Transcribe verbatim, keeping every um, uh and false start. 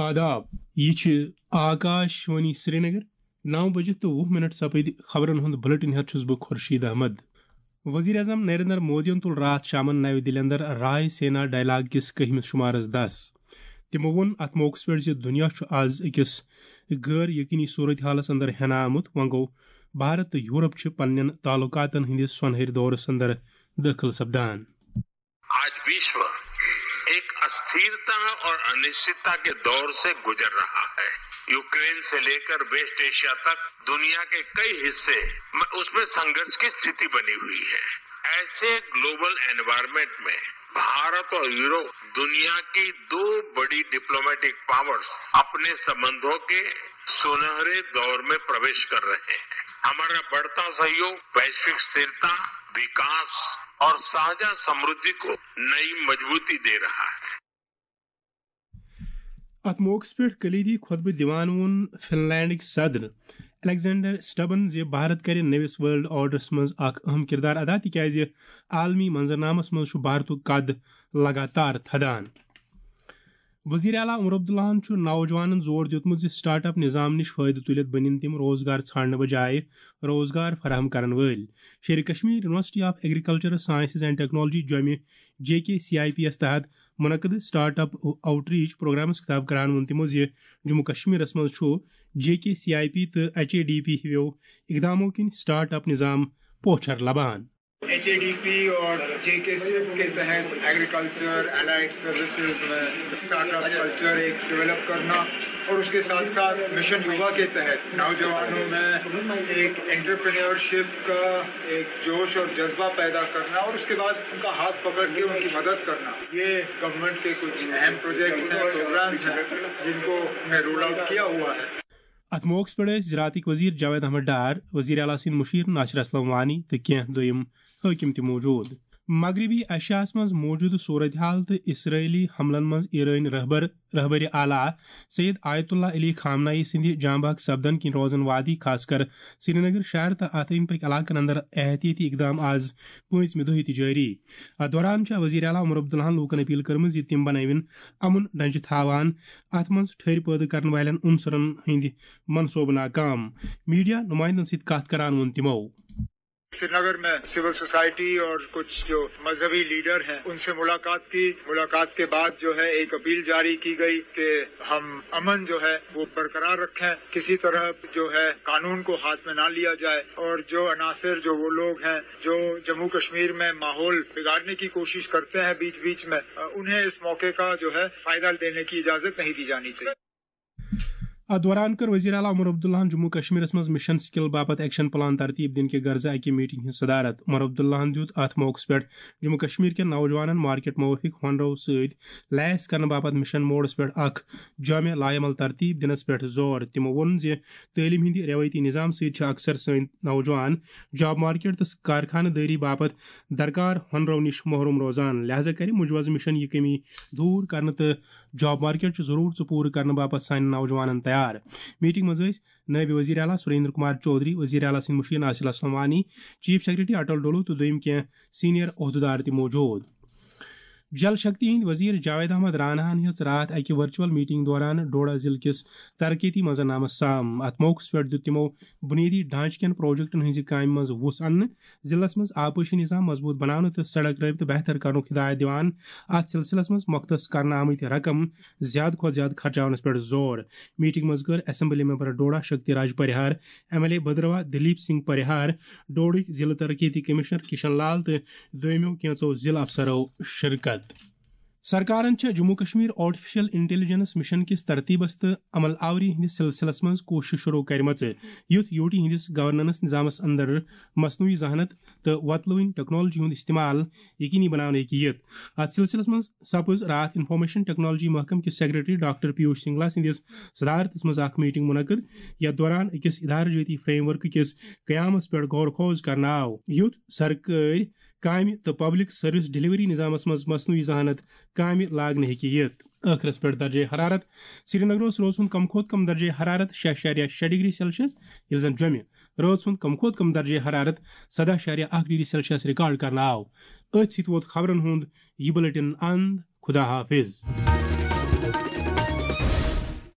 آداب، یہِ چھِ آکاش وانی سرینگر۔ نو بجے تہٕ وُہ منٹ سپٕدۍ خبرن ہُنٛد بلیٹن ہٮ۪تھ چھُس بہٕ خورشید احمد۔ وزیر اعظم نریندر مودیَن تُل راتھ شامَن نَوِ دِلہِ اندر رائے سینا ڈائیلاگ کِس کٔہمِس شمارس دس۔ تِمو ووٚن اتھ موقعس پٮ۪ٹھ زِ دُنیا چھُ از أکِس غٲر یقینی صورتحالس اندر ہٮ۪نہٕ آمُت۔ وۄنۍ گوٚو بھارت تہٕ یورپ چھِ پننٮ۪ن تعلقاتن ہٕنٛدِس سۄنہٕرۍ دورس اندر دٲخل سپدان۔ आज विश्व एक अस्थिरता और अनिश्चितता के दौर से गुजर रहा है। यूक्रेन से लेकर वेस्ट एशिया तक दुनिया के कई हिस्से में उसमें संघर्ष की स्थिति बनी हुई है। ऐसे ग्लोबल एनवायरनमेंट में भारत और यूरोप, दुनिया की दो बड़ी डिप्लोमेटिक पावर्स, अपने संबंधों के सुनहरे दौर में प्रवेश कर रहे हैं। हमारा बढ़ता सहयोग वैश्विक स्थिरता, विकास और साझा समृद्धि को नई मजबूती दे रहा है। اتھ موقعس پٮ۪ٹھ کلیدی خطبہٕ دِوان ووٚن فن لینڈٕکۍ صدر الیگزینڈر سٹبن زِ بھارت کرِ نٔوِس ورلڈ آرڈرس منٛز اکھ اہم کردار ادا، تِکیازِ عالمی منظرنامس منٛز چھُ بھارتُک قد لگاتار تھدان۔ وزیر اعلیٰ عمر عبداللہن چھُ نوجوانن زور دیُتمُت زِ سٹارٹ اپ نظام نِش فٲیدٕ تُلِتھ بٔنِن تِم روزگار ژھانڈنہٕ بجایہِ روزگار فراہم کرن وٲلۍ۔ Sher Kashmir university of agriculture sciences and technology جوٚمہِ، J K C I P یَس تحت منعقد سٹارٹ اپ آؤٹ ریچ پروگرامس خطاب کران ووٚن تِمو زِ جموں کشمیرس منٛز چھُ J K C I P تہٕ ایچ اے ڈی پی ہِویو اقدامو کِنۍ سٹارٹ اپ نظام پوچھر لبان۔ ایچ اے ڈی پی اور جے کے سپ کے تحت ایگریکلچر، الائیڈ سروسز میں اسٹارٹ اپ کلچر ایک ڈیولپ کرنا اور اس کے ساتھ ساتھ مشن یووا کے تحت نوجوانوں میں ایک انٹرپرینیورشپ کا ایک جوش اور جذبہ پیدا کرنا اور اس کے بعد ان کا ہاتھ پکڑ کے ان کی مدد کرنا، یہ گورنمنٹ کے کچھ اہم پروجیکٹس ہیں، پروگرامز ہیں، جن کو ہم نے رول آؤٹ کیا ہوا ہے۔ اتھ موقعس پٮ۪ٹھ ٲسۍ زراعتٕکۍ وزیر جاوید احمد ڈار، وزیر اعلیٰ سٕنٛدۍ مُشیر ناصر اسلم وانی تہٕ کینٛہہ دوٚیِم حٲکِم تہِ موجود۔ مغربی ایشیاہس منٛز موجودٕ صورتحال تہٕ اسرائیلی حملن منٛز ایرٲنۍ رہبر رہبر اعلیٰ سید آیت اللہ علی خامنائی سٕنٛدِ جاں بحق سپدن کِنۍ روزن وادی، خاص کر سرینگر شہر تہٕ اتھ أنٛدۍ پٔکۍ علاقن اندر احتیاطی اقدام، از پٲنٛژمہِ دۄہہِ تہِ جٲری۔ اتھ دوران چھےٚ وزیر اعلیٰ عمر عبداللہن لوٗکن اپیل کٔرمٕژ زِ تِم بنٲوِن امن ڈنجہِ تھاوان اتھ منٛز ٹھٔرۍ پٲدٕ کرن والٮ۪ن عنصرن ہٕنٛدۍ منصوبہٕ ناکام۔ میڈیا نمائندن سۭتۍ کتھ کران ووٚن تِمو۔ سرینگر میں سول سوسائٹی اور کچھ جو مذہبی لیڈر ہیں، ان سے ملاقات کی۔ ملاقات کے بعد جو ہے، ایک اپیل جاری کی گئی کہ ہم امن جو ہے، وہ برقرار رکھیں، کسی طرح جو ہے، قانون کو ہاتھ میں نہ لیا جائے اور جو عناصر، جو وہ لوگ ہیں جو جموں کشمیر میں ماحول بگاڑنے کی کوشش کرتے ہیں بیچ بیچ میں، انہیں اس موقع کا جو ہے، فائدہ لینے کی اجازت نہیں دی جانی چاہیے۔ اتھ دوران کٔر وزیر اعلیٰ عمر عبداللہن جموں کشمیرس منٛز مشن سکل باپتھ ایکشن پلان ترتیب دِنہٕ کہِ غرضہٕ اکہِ میٹنگ ہٕنٛز صدارت۔ عمر عبداللہن دیُت اتھ موقعس پٮ۪ٹھ جموں کشمیر کٮ۪ن نوجوانن مارکیٹ موٲفِق ہُنرو سۭتۍ لیس کرنہٕ باپتھ مشن موڈس پٮ۪ٹھ اکھ جامع لایعمل ترتیب دِنس پٮ۪ٹھ زور۔ تِمو ووٚن زِ تعلیٖم ہٕنٛدِ رٮ۪وٲیتی نظام سۭتۍ چھِ اکثر سٲنۍ نوجوان جاب مارکیٹ تہٕ کارخانہٕ دٲری باپتھ درکار ہُنرو نِش محروم روزان، لہذا کرِ مجوزٕ مشن یہِ کمی دور کرنہٕ تہٕ جاب مارکیٹ چہِ ضرورژٕ پوٗرٕ کرنہٕ باپتھ سانٮ۪ن نوجوانن تیار۔ میٹنگ منٛز ٲسۍ نٲیِب وزیر اعلیٰ سریندر کمار چودھری، وزیر اعلیٰ سٕنٛدۍ مُشیر ناصر اسلم وانی، چیف سیکرٹری اٹل ڈولو تہٕ دوٚیِم کینٛہہ سینئر عہدٕدار تہِ موجود۔ جل شکتی ہٕنٛدۍ وزیر جاوید احمد راناہن ہیٚژ راتھ اکہِ ورچوئل میٹنگ دوران ڈوڈا ضلعہٕ کِس ترقیتی منظرنامس سام۔ اتھ موقعس پٮ۪ٹھ دیُت تِمو بنیٲدی ڈھانچہٕ کٮ۪ن پروجیکٹن ہٕنٛزِ کامہِ منٛز وُژھ اننہٕ، ضلعس منٛز آبپاشی نظام مضبوط بناونہٕ تہٕ سڑک رٲبطہٕ بہتر کرنُک ہدایت دِوان۔ اتھ سلسلس منٛز مختص کرنہٕ آمٕتۍ رقم زیادٕ کھۄتہٕ زیادٕ خرچاونس پٮ۪ٹھ زور۔ میٹنگ منٛز کٔر assembly member Doda Shakti Raj Parihar, M L A Bhadarwah Dalip Singh Parihar, ڈوڈٕکۍ ضلعہٕ ترقیتی کمشنر کشن لال تہٕ دویمو کینژو ضلعہٕ افسرو شرکت۔ سرکارن چھےٚ Jammu Kashmir artificial intelligence mission کِس ترتیبس تہٕ عمل آوری ہٕنٛدِس سلسلس منٛز کوٗشش شروع کرِمژٕ، یُتھ یوٹی ہٕنٛدِس گورننس نظامس اندر مصنوعی ذہانت تہٕ وۄتلوٕنۍ ٹیکنالوجی ہُنٛد استعمال یقینی بناونہٕ ہیٚکہِ یِتھ۔ اتھ سلسلس منٛز سپٕز راتھ انفارمیشن ٹیکنالوجی محکمہٕ کِس سیکرٹری ڈاکٹر پیوش سنگلا سٕنٛدِس صدارتس منٛز اکھ میٹنگ منعقد، یتھ دوران أکِس ادارٕ جٲتی فریم ورک کِس قیامس پٮ۪ٹھ غور خوض کرنہٕ آو، یُتھ سرکٲرۍ کامہِ تہٕ پبلک سروس ڈلیوری نظامس منٛز مصنوعی ذہانت کامہِ لاگنہٕ ہیٚکہِ یِتھ۔ ٲخرس پٮ۪ٹھ درجہ حرارت۔ سرینگرس روز ہُنٛد کم کھۄتہٕ کم درجہ حرارت شےٚ اعشاریہ شےٚ ڈگری سیلسیس، ییٚلہِ زن جوٚمہِ رٲژ ہُنٛد کم کھۄتہٕ کم درجہ حرارت سدہ اعشاریہ اکھ ڈگری سیلسیس ریکارڈ کرنہٕ آو۔ أتھۍ سۭتۍ ووت خبرن ہُنٛد یہِ بلیٹن اند۔ خدا حافظ۔